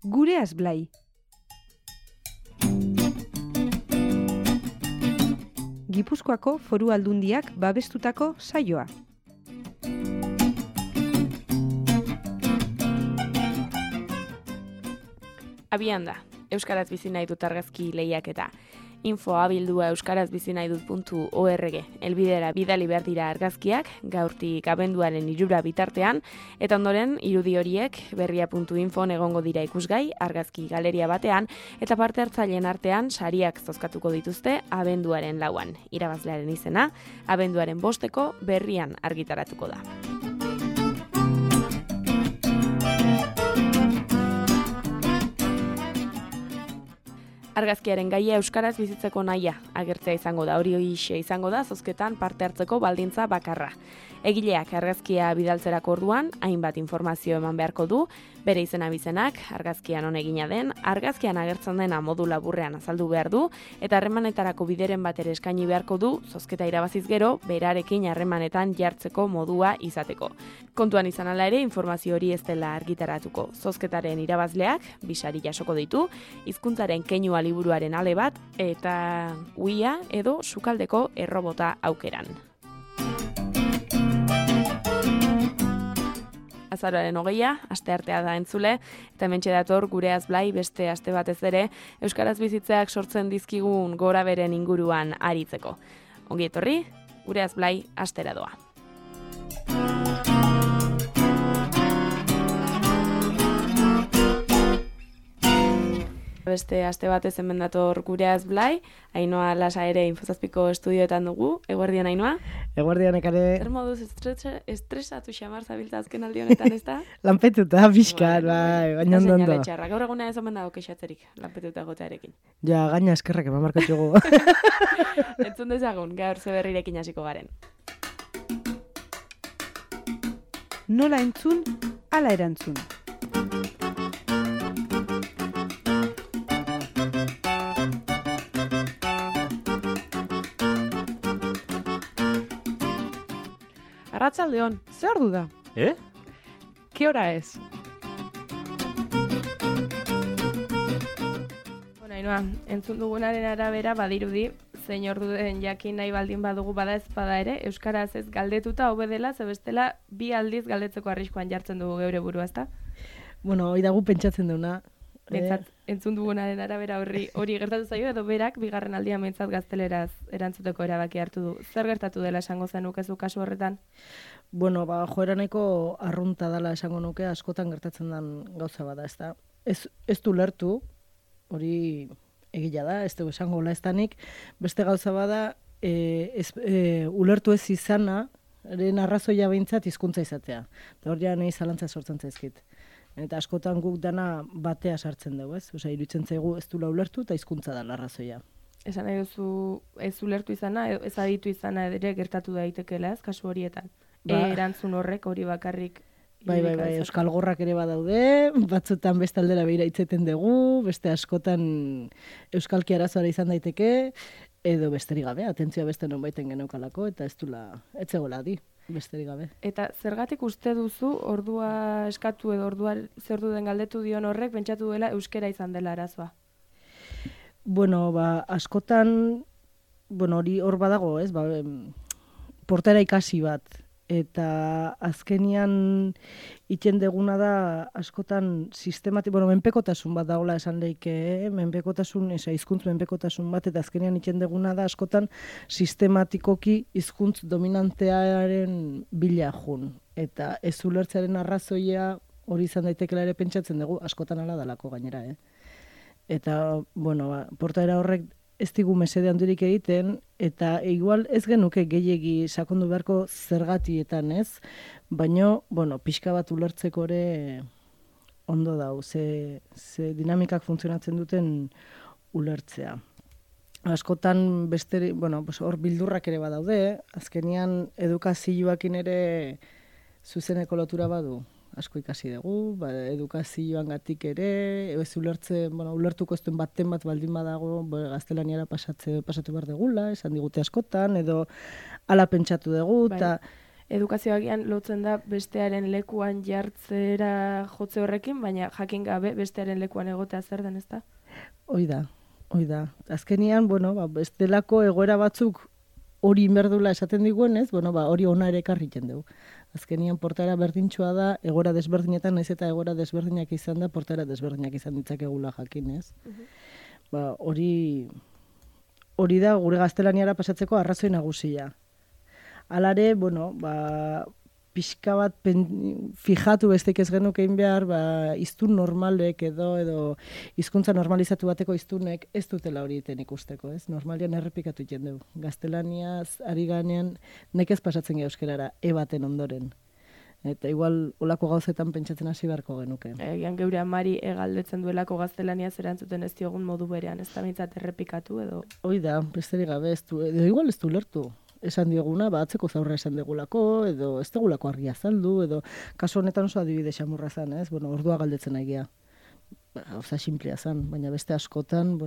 Gureaz Blai. Gipuzkoako Foru Aldundiak babestutako saioa. Abian da, Euskaraz bizi nahi dut argazki lehiaketa. Info abildua euskarazbizinaidut.org elbidera bidali behar dira argazkiak, gaurtik abenduaren 3 bitartean, eta ondoren irudi horiek berria.info egongo dira ikusgai argazki galeria batean, eta parte hartzaileen artean sariak zozkatuko dituzte abenduaren 4an. Irabazlearen izena, abenduaren 5 berrian argitaratuko da. Argazkiaren gaia euskaraz bizitzeko nahia agertzea izango da, hori hoxe izango da zozketan parte hartzeko baldintza bakarra. Egileak argazkia bidaltzerako orduan, hainbat informazio eman beharko du, bere izena bizenak, argazkian on egina den, argazkian agertzen dena modu laburrean azaldu behar du, eta harremanetarako bideren bat ere eskaini beharko du, zozketa irabaziz gero, berarekin harremanetan jartzeko modua izateko. Kontuan izan ala ere, informazio hori ez dela argitaratuko. Zozketaren irabazleak, 2 sari jasoko ditu, hizkuntzaren keinua liburuaren ale bat, eta uia edo sukaldeko errobota aukeran. Azaroaren 20, asteartea da entzule, eta hementxe dator Gureaz Blai beste aste batez ere euskaraz bizitzeak sortzen dizkigun goraberen inguruan aritzeko. Ongi etorri, Gureaz Blai astera doa. Beste aste batez hemen dator Gureaz Blai, Ainhoa Lasa ere Infozazpiko estudioetan dugu. Eguerdian, Ainhoa? Eguerdian, ekare. Zer moduz estresatu xamar zabiltza azken aldi honetan, ez da? Lanpetuta, pixkar, bai, gaina ondo. Gaur eguna ez omen dago kexatzerik, lanpetuta gotearekin. Ja, gaina eskerrak eman markatxugu. Entzun dezagun, gaur zeberrirekin hasiko garen. Nola entzun, ala erantzun. Arratsaldeon, zer ordu da? ¿Qué hora es? Bueno, Ainhoa, entzun dugunaren arabera badirudi, zein ordu den jakin nahi baldin badugu bada ezpada ere, euskaraz ez galdetuta hobe dela, ze bestela 2 aldiz galdetzeko arriskuan jartzen dugu geure burua, ezta? Bueno, hori dagu pentsatzen duna. Behintzat, entzun dugunaren arabera hori gertatu zaio, edo berak bigarren aldia behintzat gazteleraz erantzuteko erabaki hartu du. Zer gertatu dela esango zenukezu kasu horretan? Bueno, joera nahiko arrunta dela esango nuke, askotan gertatzen den gauza bada, ezta? Ez du lertu, hori egila da, ez dugu esango laestanik, beste gauza bada, ulertu ez izana, arrazoia behintzat hizkuntza izatea. Eta hor ja nahi zalantza sortzen zaizkit. Eta askotan guk dana batea sartzen dugu, ez? Osea, iruditzen zaigu ez dula ulertu eta hizkuntza da arrazoia. Esan nahi duzu ez ulertu izana, ez aditu izana ere gertatu daitekeela, ez, kasu horietan. Erantzun horrek hori bakarrik. Bai, euskal gorrak ere badaude, batzutan beste aldera behira itzeten dugu, beste askotan euskalki arazoara izan daiteke, edo besterik gabe, atentzioa beste nonbaiten geneukalako, eta ez dula, etzegoela di. Besterik gabe. Eta zergatik uste duzu ordua eskatu edo ordua zer den galdetu dion horrek pentsatu duela euskera izan dela arazoa? Bueno, askotan, hori hor badago, ez? Portaera ikasi bat. Eta azkenian itzen deguna da askotan menpekotasun bat dagoela esan leike, hizkuntz menpekotasun bat, eta azkenian itzen deguna da askotan sistematikoki hizkuntz dominantearen bila jun. Eta ez ulertzearen arrazoia hori izan daitekela ere pentsatzen dugu, askotan ala dalako gainera, Eta, portaera horrek ez digu mesede handirik egiten, eta igual ez genuke gehiegi sakondu beharko zergatietan, ez? Baina, pixka bat ulertzeko ere ondo dau, ze dinamikak funtzionatzen duten ulertzea. Askotan beste, hor bildurrak ere badaude, azkenian edukazioakin ere zuzeneko lotura badu. Asko ikasi dugu, edukazioan gatik ere, ez ulertuko ez duen baten bat baldin badago, pasatu behar degula, esan digute askotan, edo ala pentsatu dugu, eta edukazioagian lotzen da bestearen lekuan jartzera jotze horrekin, baina jakin gabe bestearen lekuan egotea zer den, ezta? Hoi da. Azkenian, bestelako egoera batzuk hori inberdula esaten diguenez, hori ona ere ekarriten dugu. Azkenian portaera berdintxoa da, egoera desberdinetan, naiz eta egoera desberdinak izan da, portaera desberdinak izan ditzakegula jakinez. Hori da gure gaztelaniara pasatzeko arrazoi nagusia. Halare, pixka bat fijatu besteik ez genuke egin behar, hiztun normalek edo hizkuntza normalizatu bateko hiztunek ez dutela hori iten ikusteko, ez? Normalian errepikatu egiten dugu. Gaztelaniaz ari ganean nekez pasatzen geha euskerara, baten ondoren. Eta igual olako gauzetan pentsatzen hasi beharko genuke. Egian geure amari galdetzen duelako gaztelaniaz erantzuten ez diogun modu berean, ez da bintzat errepikatu edo... Hoi da, besterik gabe ez du, edo igual ez du lertu. Esan dioguna, atzeko zaurra esan degulako, edo ez degulako argia azaldu, edo kasu honetan oso adibide xamurra zan, ez? Ordua galdetzen nahi gauza simplea zan, baina beste askotan,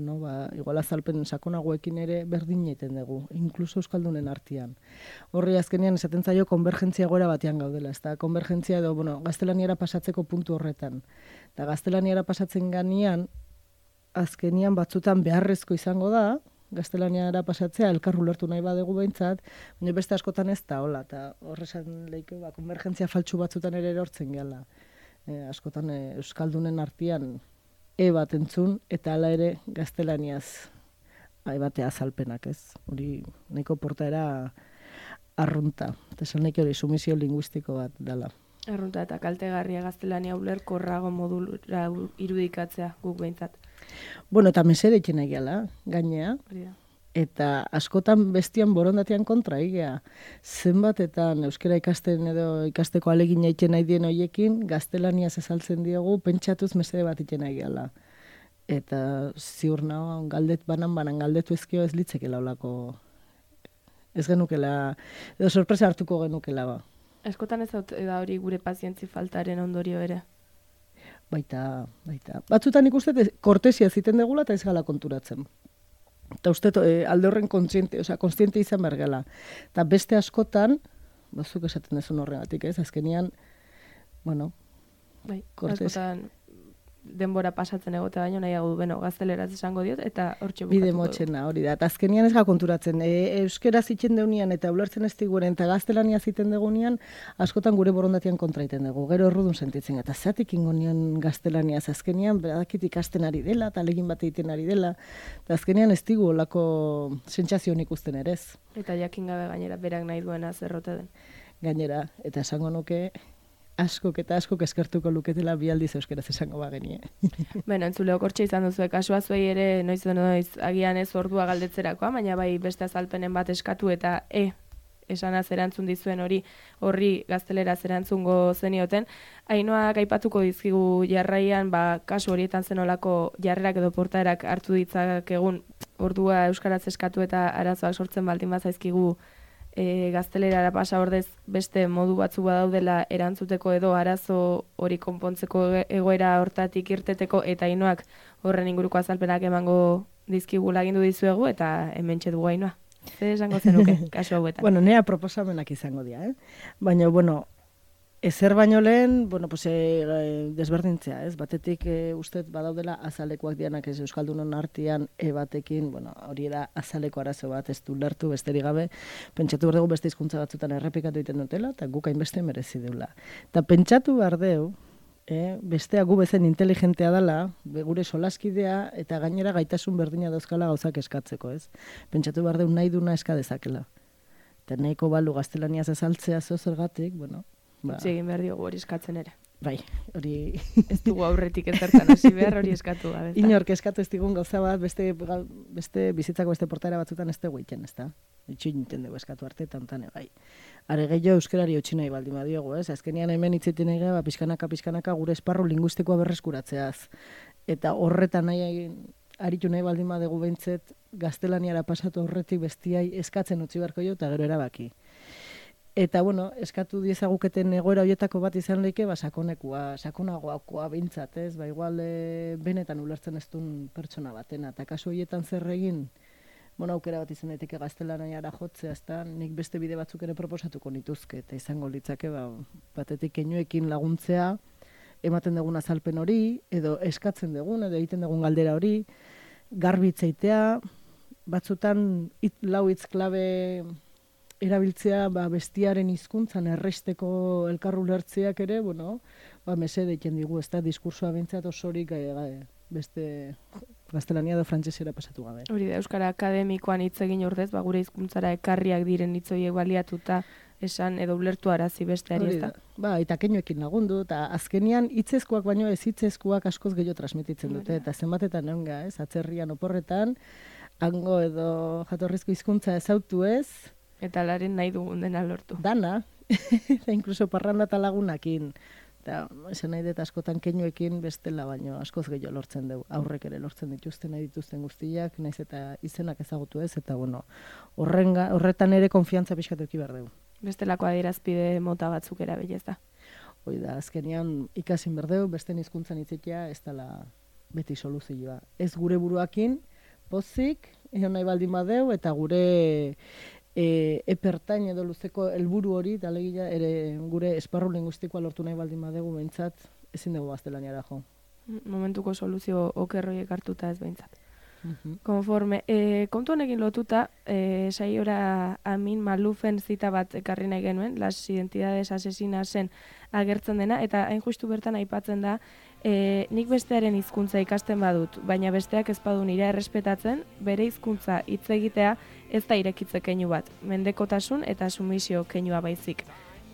igual azalpen sakonagoekin ere berdin egiten dugu, inkluso euskaldunen artean. Horri azkenean esaten zaio konvergentzia egoera batean gaudela, ezta? Konvergentzia edo, gaztelaniara pasatzeko puntu horretan. Eta gaztelaniara pasatzen ganean, azkenian batzutan beharrezko izango da, gaztelaniara pasatzea, elkarru lertu nahi badegu behintzat, baina beste askotan ez da, hola, eta horrezan lehiko, konvergentzia faltsu batzutan ere erortzen gehala. Askotan euskaldunen artean bat entzun, eta hala ere gaztelaniaz batea azalpenak, ez? Hori nahiko portaera arrunta, eta esan nahi hori sumisio linguistiko bat dela. Arrunta eta kaltegarria gaztelania ulerkorrago modura irudikatzea guk behintzat. Eta mesede itxen egiala, gainea. Eta askotan bestian borondatean kontra egea. Zenbatetan euskera ikasten edo ikasteko alegin egiten nahi dien hoiekin, gaztelaniaz azaltzen diogu, pentsatuz mesede bat itxen egiala. Eta ziur nago, banan galdetu ezkio ez litzekela olako. Ez genukela, edo sorpresa hartuko genukela ba. Askotan ez da hori gure pazientzi faltaren ondorio ere. Baita. Batzutan ikuste kortesia ziten degula eta ez gala konturatzen. Eta uste alde horren konstiente izan behar gala. Eta beste askotan, bazuk esaten dezun horregatik, ez? Azkenian, askotan denbora pasatzen egote baino nahiago du, gazteleraz esango diot, eta hortxe bukatuko bide motxena hori da. Eta azkenian ez ga konturatzen, euskera zitzen deunean eta ulertzen ez diguren eta gaztelania ziten degunean, askotan gure borondatean kontra iten dugu. Gero errudun sentitzen, eta zatik ingonian gaztelaniaz azkenian, badakit ikasten ari dela, eta alegin bat egiten ari dela, eta azkenian ez digu olako sentsazioan ikusten ere ez. Eta jakin gabe gainera, berak nahi duena zerrote den. Gainera, eta esango nuke, askok eskertuko luketela bi aldiz euskeraz esango bagenie. Entzuleok hortxe izan duzu, kasua zuei ere noiz agian ez ordua galdetzerakoa, baina bai beste azalpenen bat eskatu eta esanaz erantzun dizuen horri gazteleraz erantzungo zenioten. Ainhoak aipatuko dizkigu jarraian, kasu horietan zenolako jarrerak edo portaerak hartu ditzakegun ordua euskaraz eskatu eta arazoak sortzen baldin bazaizkigu gaztelerara pasa ordez beste modu batzu badaudela erantzuteko edo arazo hori konpontzeko egoera hortatik irteteko eta Ainhoak horren inguruko azalpenak emango dizkigu lagindu dizuegu eta hementxe dugu Ainhoa. Zer esango zenuke kasu hauetan? Nea proposamenak izango dira, Baina, ezer baino lehen, desberdintzea, ez? Batetik uste badaudela azalekoak dianak ez euskaldunon artean batekin, hori da azaleko arazo bat ez du lertu besterik gabe, pentsatu behar dugu beste hizkuntza batzutan errepikatu egiten dutela, eta guk hainbeste merezi deula. Eta pentsatu behar dugu, bestea gu bezen inteligentea dela, gure solaskidea eta gainera gaitasun berdina dauzkala gauzak eskatzeko, ez? Pentsatu behar dugu nahi duna eska dezakela. Eta nahiko balu gaztelaniaz azaltzea zergatik, Egin behar diogu hori eskatzen ere. Bai, hori... Ez dugu aurretik ezertan hasi behar hori eskatu gabe. Inork eskatu ez digun gauza bat, beste bizitzako beste portaera batzutan ez dugu egiten, ez da? Itxoin iten dugu eskatu arte, tantan bai. Are gehiago euskerari utzi nahi baldin badiogu, ez? Azkenian hemen hitzeiten ega, pixkanaka gure esparru linguistikoa berreskuratzeaz. Eta horretan aritu nahi baldin badugu behintzet, gaztelaniara pasatu horretik bestiai eskatzen utzi beharko jo, eta gero erabaki. Eta, eskatu diezaguketen egoera horietako bat izan lehike, sakonagoakoa bintzat, ez? Igual benetan ulertzen ez duen pertsona batena. Eta kasu horietan zer egin, bueno, aukera bat izan daiteke gaztelaniara jotzea, ezta, nik beste bide batzuk ere proposatuko nituzke, eta izango litzake, batetik keinuekin laguntzea, ematen dugun azalpen hori, edo eskatzen dugun, edo egiten dugun galdera hori, garbitzeitea, batzutan lau hitz klabe erabiltzea bestiaren hizkuntzan erresteko elkarru lertzeak ere, mesede egiten digu, ez da, diskursoa bintzat osorik beste gaztelania edo frantsesera pasatu gabe. Hori da, Euskara Akademikoan hitz egin ordez, gure hizkuntzara ekarriak diren hitz horiek baliatuta esan edo ulertu arazi besteari, ez da? Eta keinuekin lagundu, eta azkenian hitzezkoak baino ez hitzezkoak askoz gehiago transmititzen dute, eta zenbatetan egonga, ez, atzerrian oporretan, hango edo jatorrizko hizkuntza ezautu ez. Eta laren nahi dugun dena lortu. Dana, eta inkluso parranda eta lagunakin. Eta esan nahi dut askotan keinuekin bestela baino askoz gehiago lortzen dugu. Aurrek ere lortzen dituzten, nahi dituzten guztiak, naiz eta izenak ezagutu ez, eta horretan ere konfiantza pixkat eduki behar dugu. Bestelako adierazpide mota batzuk erabili, ez da? Hoi da, azkenean ikasin berdeu, beste hizkuntzan hitzitea ez dela beti soluzioa. Ez gure buruakin, pozik, egon nahi baldin badeu, eta gure epertain edo luzeko helburu hori, alegia ere gure esparru linguistikoa lortu nahi baldin badegu behintzat, ezin dugu gaztelaniara jo. Momentuko soluzio okerroiek hartuta ez behintzat. Konforme, kontu honekin lotuta, saiora Amin Malufen zita bat ekarri nahi genuen, Las Identidades Asesinasen agertzen dena, eta hain justu bertan aipatzen da, nik bestearen hizkuntza ikasten badut, baina besteak ez badu nire errespetatzen, bere hizkuntza hitz egitea ez da irekitze keinu bat, mendekotasun eta sumisio keinua baizik.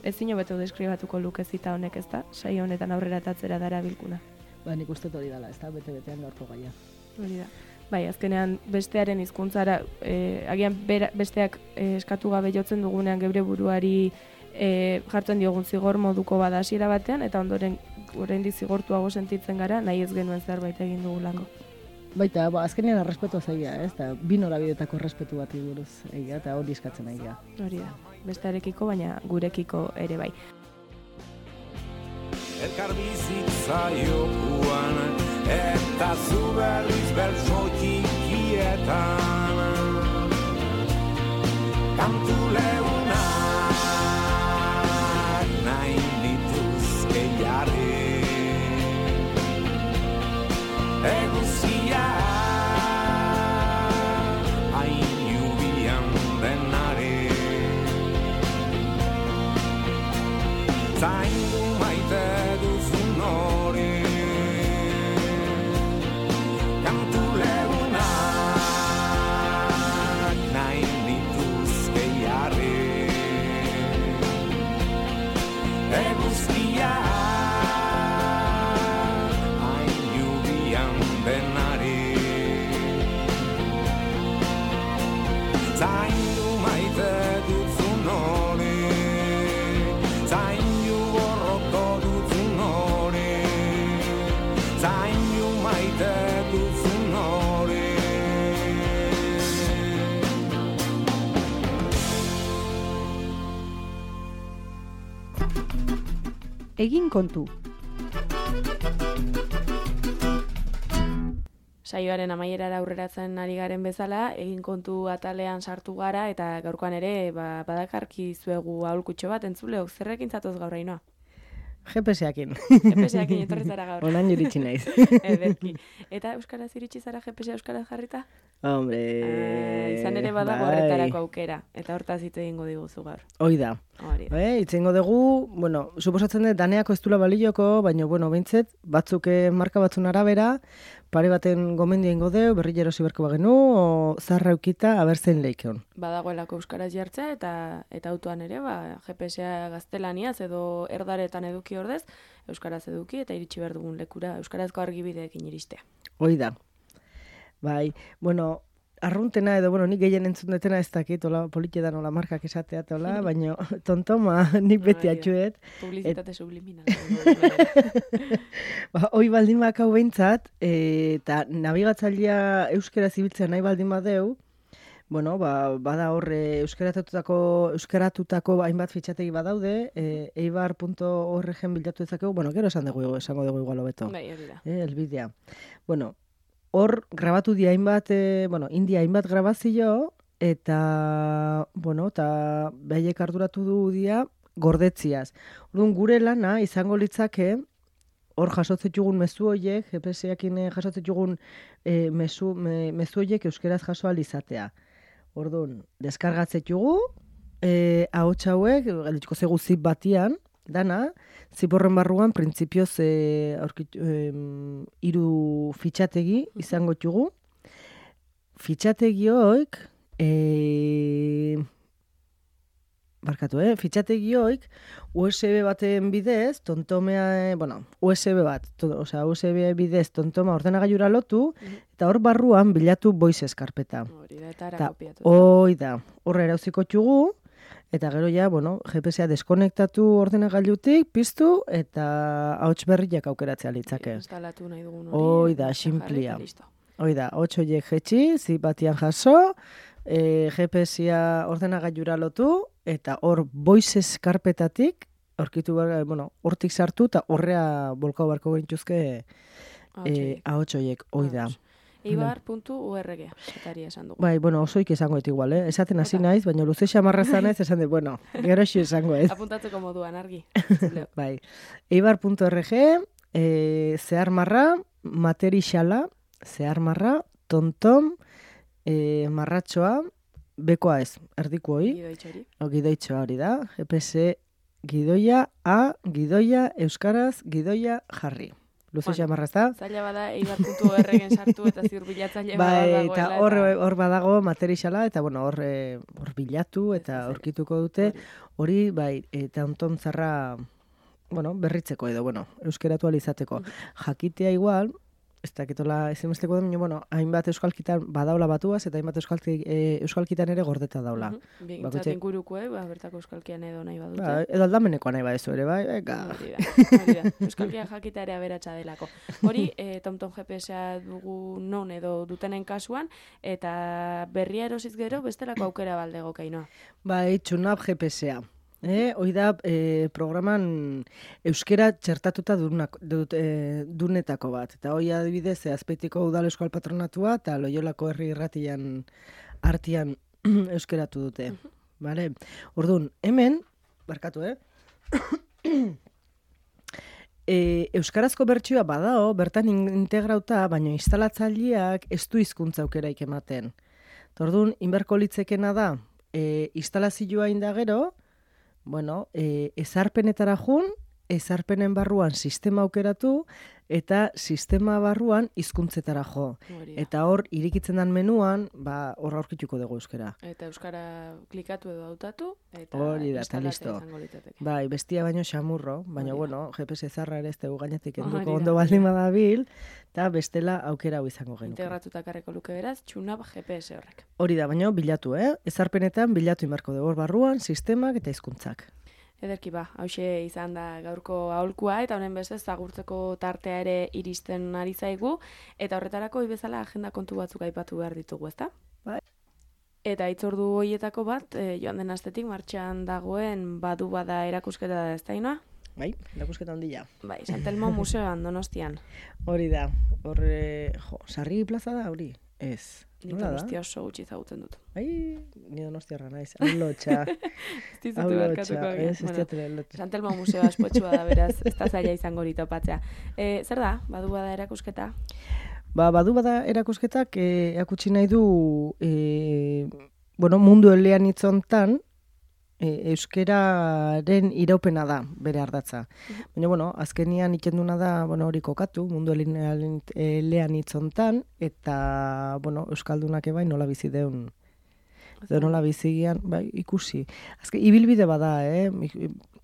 Ezin hobeto deskribatuko luke zita honek, ez da? Saio honetan aurrera tatzera dara bilkuna. Nik uste hori dela, ez da? Bete-betean gaurko gaia. Hori da. Bai, azkenean bestearen hizkuntzara, agian besteak eskatu gabe jotzen dugunean geure buruari jartzen diogun zigor moduko bada hasiera batean, eta ondoren oraindik zigortuago sentitzen gara, nahi ez genuen zerbait egin dugulako. Baita, azkenean errespetua zaila, ez da, bi norabidetako errespetu bat buruz egia, eta hori eskatzen egia. Hori da, bestearekiko, baina gurekiko ere bai. Elkar bizitza jokuan, eta zu berriz bertso txikietan, kantu leunak nahi dituzke jarri, eguzia hain jubian denari, zaindu maite duzun hori, kantu legunak nahi dituzke jarri, eguzkia hain jubian denari, zaindu maite duzun hori, zaindu borroko duzun hori, zaindu maite duzun hori. Egin kontu. Saioaren amaierara aurreratzen ari garen bezala, egin kontu atalean sartu gara, eta gaurkoan ere badakarki zuegu aholkutxo bat, entzuleok zerrekin zatoz gaur Ainhoa? GPS-akin. GPS-akin etorri zara gaur. Onan iritsi naiz. Ederki. Eta euskaraz iritsi zara GPS euskaraz jarrita? Hombre... izan ere badago horretarako aukera, eta hortaz hitz egingo diguzu gaur. Hoi da. Hitz egingo dugu, suposatzen dut daneako ez dula balioko, baina, behintzet, batzuk marka batzun arabera, pare baten gomendio ingo deu, berri jerosi berko bagenu, o zarra eukita, abertzen leikeon. Badagoelako euskaraz jartzea, eta autoan ere, GPS-a gaztelaniaz edo erdaretan eduki ordez, euskaraz eduki eta iritsi behar dugun lekura euskarazko argibideekin iristea. Hoi da. Bai, arruntena edo, nik gehien entzun detena ez dakit, politxedan ola markak esatea, baina tontoma nik beti atxuet. Publizitate subliminal. Hoi baldin bakau behintzat, eta nabigatzailea euskera zibiltzen nahi baldin badeu, bada horre euskaratutako hainbat fitxategi badaude, eibar.org bilatu dezakegu, gero esango dugu igual hobeto. Bai, hori da. Elbidea. hor grabatu di hainbat, India hainbat grabazio, eta, eta behaiek arduratu du dia gordetziaz. Orduan, gure lana izango litzake, hor jasotzetjugun mezu horiek, GPS-ekin jasotzetjugun mezu horiek euskeraz jaso alizatea. Orduan, deskargatzetjugu, ahots hauek, galdituko zegu zip batian, dana, ziporren barruan, printzipioz, 3 fitxategi izango txugu. Fitxategi hoik, fitxategi hoik, USB baten bidez, tontomea, USB bat, USB bidez tontoma ordenagailura lotu, eta hor barruan bilatu voices karpeta. Hori da, eta ara kopiatu. Horra erauziko txugu, eta gero ja, GPS-a deskonektatu ordenagailutik, piztu, eta ahots berriak aukeratzea litzake. Instalatu nahi dugun hori. Da, simplia. Da, ahots horiek jetxi, zipatian jaso, GPS-a ordenagailura lotu, eta hor voices karpetatik, hortik sartu, eta horrea bolkau barko gintuzke ahots horiek, da. Eibar.org, etari esan dugu. Bai, osoik esango et igual, esaten hasi naiz, baina luze xamarra zanez, esan dut, gero xo esango ez. Apuntatzeko moduan, argi. Bai, eibar.org, zehar marra, materixala, zehar marra, tontom, marratxoa, bekoa ez, erdiko hoi. Gidoitxoa hori da, GPS gidoia, gidoia, euskaraz, gidoia, jarri. Luze xamarra ez da? Zaila bada, eibar.orgen sartu eta ziur bilatzaile badagoela. Eta hor badago materixala, eta hor bilatu eta aurkituko dute. Hori, eta onton zarra, berritzeko edo, euskeratu alizateko. Jakitea igual, ez dakitola ezimesteko da, hainbat euskalkitan badaula batuaz, eta hainbat euskalkitan ere gordeta daula. Bintzat inguruko, bertako euskalkian edo nahi badute. Edo aldameneko nahi badezu ere, bai? Hori da. Euskalkia jakita ere aberatsa delako. Hori, TomTom GPS-a dugu non edo dutenen kasuan, eta berria erosiz gero bestelako aukera baldego kainoa. Bai, TuneUp GPS-a. Hoi da programan euskera txertatuta dunetako bat. Eta hoi adibidez, Azpeitiko Udal Euskal Patronatua eta Loiolako Herri Irratian artian euskeratu dute. Orduan, hemen, barkatu, euskarazko bertsioa badao, bertan integrauta, baina instalatzaileak ez du hizkuntza aukeraik ematen. Orduan, inberko litzekena da, instalazioa indagero, ezarpenetara jun, ezarpenen barruan sistema aukeratu, eta sistema barruan hizkuntzetara jo. Eta hor, irikitzen den menuan, hor aurkituko dugu euskera. Eta euskara klikatu edo hautatu, eta instalatzea izango litzateke. Bai, bestia baino xamurro, baina GPS zarra ere ez dugu gainetik enduko ondo baldin badabil, eta bestela aukera hau izango genuke. Integratuta karreko luke beraz, TuneUp GPS horrek. Hori da, baina bilatu, ezarpenetan bilatu inbarko dugu hor barruan, sistemak eta hizkuntzak. Ederki hauxe izan da gaurko aholkua, eta honen bestez agurtzeko tartea ere iristen ari zaigu, eta horretarako bezala agenda kontu batzuk aipatu behar ditugu, ezta? Bai. Eta itzordu horietako bat, joan den astetik martxan dagoen badu bada erakusketa da, ezta inoa? Bai, erakusketa handia. Bai, Santelmo Museoan, Donostian. Hori da, Sarri plaza da, hori? Ez. Ni Donostia oso gutxi zagutzen dut. Ni Donostiarra naiz, haulotxa. Ez dizutu barkatuko. Santelmo Museoa aspotxua da, beraz, ez da zaila izango hori topatzea. Zer da, badu bada erakusketa? Badu bada erakusketak erakutsi nahi du mundu elean hitzontan euskeraren iraupena da bere ardatza. Baina, azkenian ikenduna da hori kokatu, mundu elean hitzontan, eta, euskaldunak ebai nola bizi deun. Nola bizigian, ikusi. Azken, ibilbide bada,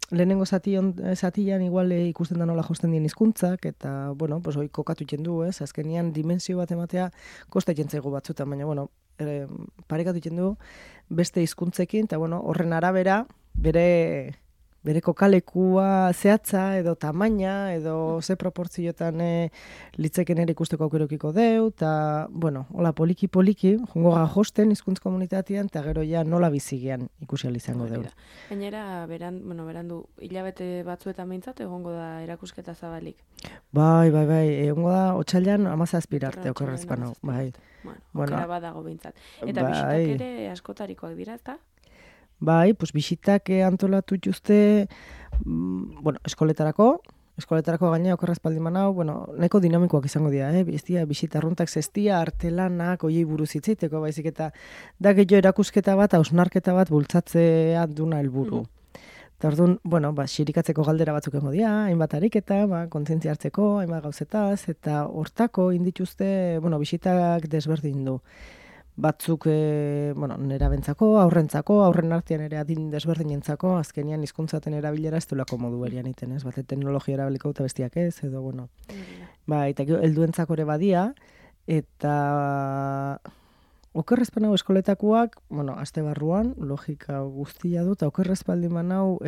lehenengo zatian igual ikusten da nola josten dien hizkuntzak, eta, hori kokatu ikendu, azkenian dimensio bat ematea kosta ikentzaigu batzutan, baina, parekatu ikendu beste hizkuntzekin, eta horren arabera bere bere kokalekua zehatza edo tamaina edo ze proportzioetan litzeken ere ikusteko aukerokiko deu, eta, bueno, hola poliki-poliki, jongo josten hizkuntz komunitatean, eta gero ja nola bizigean ikusi ahal izango deu. Gainera, berandu, hilabete batzuetan behintzat, egongo da erakusketa zabalik. Bai, egongo da, otsailean 17 arte okerrezpano, bai. Bueno, okera badago behintzat. Eta bisitak ere askotarikoak dira, ezta? Bai, bisitak antolatu jutuzte, eskoletarako gaina okerrazpaldi manau, nahiko dinamikoak izango dira, bisita arruntak zestia, artelanak, oiei buruz hitzeiteko, baizik eta da gehiago erakusketa bat, hausnarketa bat bultzatzea duna helburu. Eta orduan, xirikatzeko galdera batzuk egongo dira, hainbat ariketa, kontzientzia hartzeko, hainbat gauzetaz, eta hortako indituzte, bisitak desberdin du. Batzuk, nerabentzako, aurren artean ere adin desberdinentzako, azkenian hizkuntzaten erabilera ez duelako modu berian iten, ez? Bate teknologia erabiliko eta bestiak ez, edo, eta helduentzako ere badia, eta okerrezpan hau eskoletakoak, aste barruan, logika guztia du, eta okerrezpaldi manau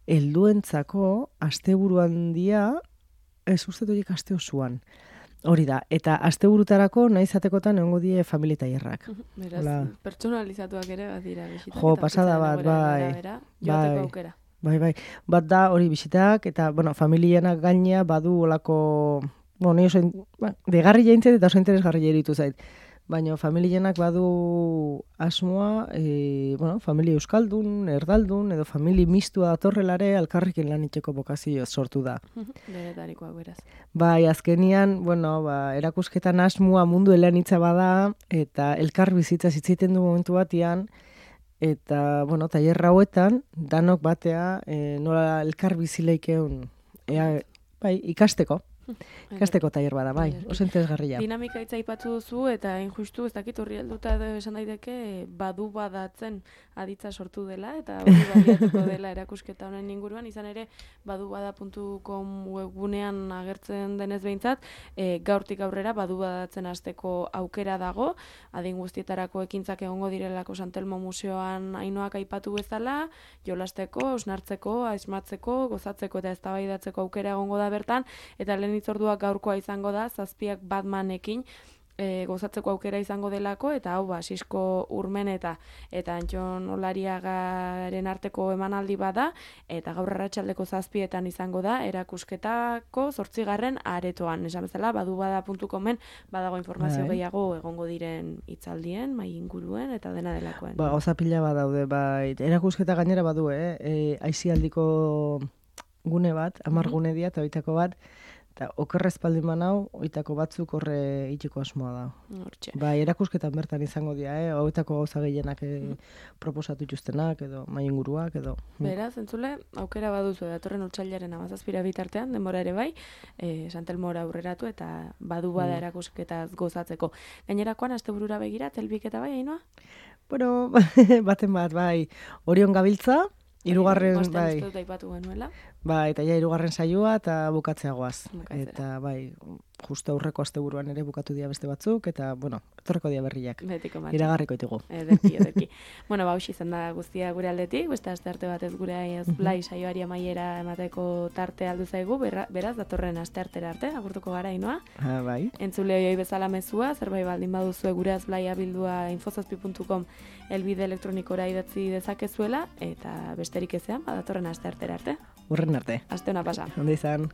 helduentzako asteburuan dia, ez uste horiek aste osoan. Hori da, eta asteburutarako nahi zatekotan egongo die familia tailerrak. Beraz, pertsonalizatuak ere bat dira bisitak. Pasada bat, joteko aukera. Bai. Bat da hori bisitak, eta, familianak gainea badu olako, degarri jaintzet eta oso interesgarri jairitu zait. Baina familianak badu asmoa, familia euskaldun, erdaldun, edo familia mistua datorrelare alkarrekin lan itxeko bokazio sortu da. Beretarikoak beraz. Bai, azkenian, erakusketan asmoa mundu eleanitza bada, eta elkar bizitza zitzaiten du momentu batian, eta, tailer hauetan, danok batea, nola elkar bizileikeun, ikasteko. Ikasteko tailer bada, bai, oso interesgarria. Dinamika hitza aipatu duzu eta injustu ez dakit horri helduta esan daiteke badu badatzen aditza sortu dela eta hori baliatuko dela erakusketa honen inguruan, izan ere badubada.com webgunean agertzen denez behintzat, gaurtik aurrera badubadatzen hasteko aukera dago, adin guztietarako ekintzak egongo direlako Santelmo Museoan Ainoak aipatu bezala, jolasteko, osnartzeko, asmatzeko, gozatzeko eta eztabaidatzeko aukera egongo da bertan, eta lehen itzorduak gaurkoa izango da, Zazpiak Batmanekin gozatzeko aukera izango delako, eta hau Sisko Urmeneta eta Antxon Olariagaren arteko emanaldi bada, eta gaur arratsaldeko 7etan izango da, erakusketako 8. aretoan. Esan bezala, badubada.comen badago informazio gehiago egongo diren hitzaldien, mai inguruen, eta dena delakoen. Gauza pila badaude, erakusketa gainera badu, aisialdiko gune bat, 10 gune dira, eta oitako bat, eta okerrezpaldi manau, oitako batzuk horre itxiko asmoa da. Hortxe. Erakusketan bertan izango dira, oitako gauza gehienak proposatu ituztenak, edo mainguruak, edo. Beraz, entzule, aukera baduzu, datorren otsailaren 17 bitartean, denbora ere bai, Santelmora aurreratu eta badu bada erakusketaz gozatzeko. Gainerakoan, asteburura begira, telbiketa bai, Ainoa? Bueno, baten bat, bai, Orion gabiltza, hirugarren, bai. Aipatu genuela. Bai, eta ja 3. saioa eta bukatzea goaz. Eta bai, justu aurreko asteburuan ere bukatu dira beste batzuk, eta, etorreko dira berriak. Betiko matxe. Iragarriko ditugu. Ederki. Hauxe izan da guztia gure aldetik, beste aste arte batez gure blai saioari amaiera emateko tarte aldu zaigu, beraz, datorren aste artera arte, agurtuko gara, Ainoa. Bai. Entzule hoioi bezala mezua, zerbait baldin baduzue gure azblaia bildua infozazpi.com elbide elektronikora idatzi dezakezuela, eta besterik ezean, datorren aste artera arte. Urren arte. Aste ona pasa. Ondo izan.